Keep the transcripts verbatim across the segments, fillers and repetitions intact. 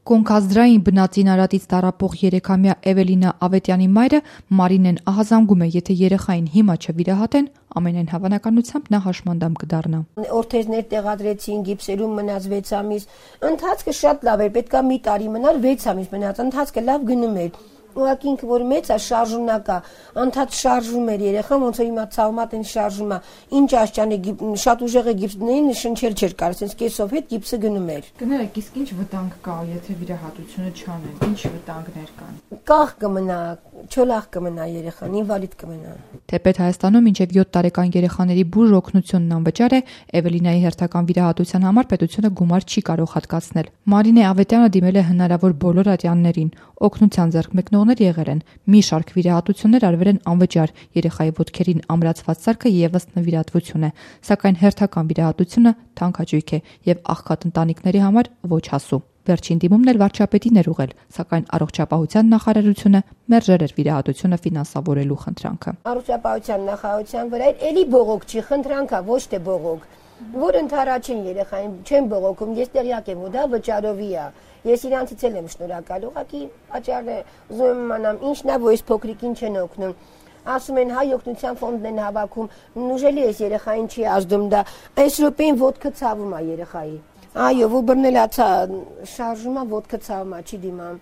Կոնքազդրային բնածին արատից տառապող երեքամյա Էվելինա Ավետյանի մայրը Մարինեն ահազանգում է, եթե երեխային հիմա չվիրահատեն, ամենայն հավանականությամբ նա հաշմանդամ կդառնա։ Օրթեզներ տեղադրեցին, գիպսերում մնաց վեց ամիս, ընթացքը շատ լավ էր, պետքա մի տարի մնար, վեց ամիս մնաց, ընթացքը լավ գնում էր։ Ուղղակի ինքը որ մեծ է, շարժունակ է, անդադ շարժում էր երեխան, ոնց որ հիմա ցավմատ են շարժում է, ինչ աշճանի շատ ուժեղ է գիպսներին շնչել չէր կարող, ասես կեսով հետ գիպսը գնում էր։ Կներեք, իսկ ինչ վտանգ կա, եթե վիրահատությունը չանեն, ինչ վտանգներ կան։ Կախ կմնա, չոլախ կմնա երեխան, ինվալիդ կմնա։ Թեպետ Հայաստանում մինչև յոթ տարեկան երեխաների բուժ օգնությունն անվճար է, Էվելինայի հերթական վիրահատության համար պետությունը գումար չի կարող հատկացնել։ Մարինե Ավետյանը դիմել է հնարավոր բոլոր ատյաններին, օգնության ձեռք մեկնողներ եղել են, մի շարք վիրահատություններ արվել են անվճար, երեխայի ոտքերին ամրացված սարքը եւս նվիրատվություն է, սակայն հերթական վիրահատությունը թանկ է եւ աղքատ ընտանիքների համար ոչ հասու։ Վերջին դիմումն էլ վարչապետին էր ուղղել, սակայն առողջապահության նախարարությունը մերժել էր վիրահատությունը ֆինանսավորելու խնդրանքը։ Առողջապահության նախարարության վրա էլի բողոք չի, խնդրանքա, ոչ թե բողոք, որ ընդառաջին երեխային չեն բողոքում, ես տեղյակ եմ, ու դա վճարովի է։ Ես իրանցից էլ եմ շնորհակալ, ուղղակի պատճառն է, ուզում եմ իմանամ, ինչն է, որ այս փոքրիկին չեն օգնում։ Ասում են հայ օգնության ֆոնդն են հավաքում, ուժելի է երեխային չի ազդում դա, այս րոպեին ոտքը ցավում է երեխայի։ Այո, ու բռնելացա, շարժումա ոտքը ցավում է, չի դիմամ։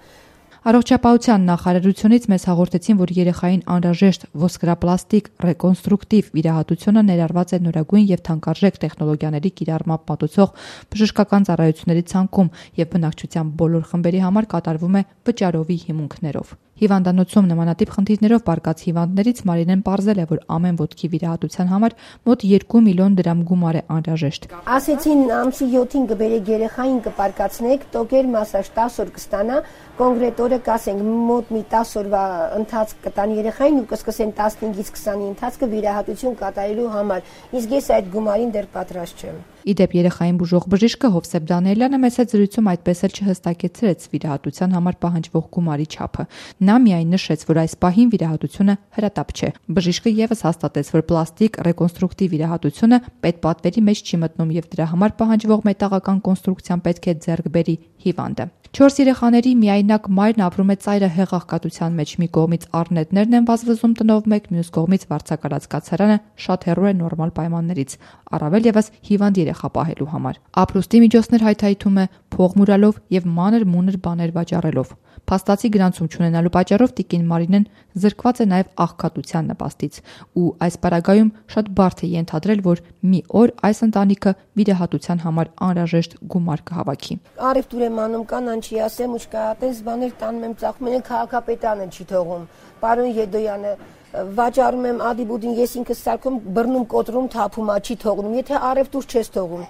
Առողջապահության նախարարությունից մեզ հաղորդեցին, որ երեխային անհրաժեշտ ոսկրապլաստիկ ռեկոնստրուկտիվ վիրահատությունը ներառված է նորագույն եւ թանկարժեք տեխնոլոգիաների կիրառմամբ մատուցող բժշկական ծառայությունների ցանկում եւ բնակչության բոլոր խմբերի համար կատարվում է վճարովի հիմունքներով։ Հիվանդանոցում նմանատիպ խնդիրներով բարկած հիվանդներից Մարինեն պարզել է, որ ամեն ոտքի վիրահատության համար մոտ երկու միլիոն դրամ գումար է անհրաժեշտ։ Ասեցին ամսի յոթին կբերեք երեխային կպարկացնեք, տոկեր մասաժ տասը օր կստանա, կոնկրետ օրը կասենք մոտ մի տասը օրվա ընթացք կտան երեխային ու կսկսեն տասնհինգից քսանի ընթացքը վիրահատություն կատարելու համար։ Իսկ ես այդ գումարին դեռ պատրաստ չեմ։ Իդեպ երեխային բուժող բժիշկը Հովսեփ Դանիելյանը մեծ հետ զրույցում այդպես էլ չհստակեցրեց վիրահատության համար պահանջվող գումարի չափը։ Նա միայն նշեց, որ այս պահին վիրահատությունը հրատապ չէ։ Բժիշկը եւս հաստատեց, որ պլաստիկ ռեկոնստրուկտիվ վիրահատությունը պետպատվերի մեջ չի մտնում եւ դրա համար պահանջվող մետաղական կոնստրուկցիան պետք է ձեռք բերի հիվանդը։ Չորս երեխաների միայնակ մայրն ապրում է ծայրահեղ աղքատության մեջ, մի կողմից առնետներն են վազվզում տնով մեկ, մյուս կողմից վարձակալած կացարանը շատ հեռու է նորմալ պայմաններից, առավել եւս հիվանդ երեխա պահելու համար։ Ապրուստի միջոցներ հայթայթում է փող մուրալով եւ մանր մունր բաներ վաճառելով։ Փաստացի գրանցում չունենալու պատճառով տիկին Մարինեն զրկված է նաև աղքատության նպաստից ու այս պարագայում շատ բարդ է ենթադրել, որ մի օր այս ընտանիքը վիրահատության համար անհրաժեշտ գումար կհավաքի։ Առևտուր եմ անում, կանանչի ասեմ ու չկա, այդպես բաներ տանում եմ, ծախում են, քաղաքապետանը չի թողում։ Պարոն Եդոյանը վաճառում եմ ադիբուդին, ես ինքս սարքում բռնում կոտրում թափում, չի թողնում։ Եթե առևտուր չես թողում,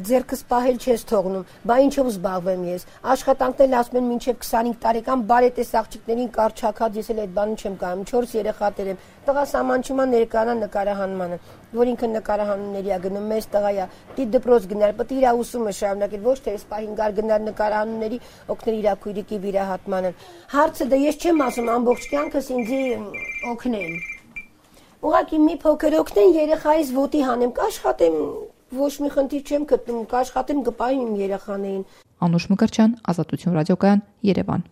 ձեռքս պահել չես թողնում, բա ինչով զբաղվեմ ես։ Աշխատանքն էլ ասում են մինչև քսանհինգ տարեկան բարետես աղջիկներին կարճակած, ես էլ այդ բանը չեմ կարում, չորս երեխաներ եմ։ Տղաս ամանչումա ներկանա նկարահանմանը, որ ինքը նկարահանումների է գնում, մեծ տղա է, դի դպրոց գնալ, պետք է իր ուսումը շարունակել, ոչ թե այս պահին գար գնալ նկարահանումների, օգնել իր քույրիկի վիրահատմանը։ Հարցը դա ես չեմ ասում ամբողջ կյանքս ինձ օգնեն։ Ուղղակի մի փոքր օգնեն երեխայիս ոտի հանեմ, կաշխատեմ, ոչ մի խնդիր չեմ գտնում, կաշխատեմ կպահեմ իմ երեխաներին։ Անուշ Մկրտչյան, Ազատություն ռադիոկայան, Երևան։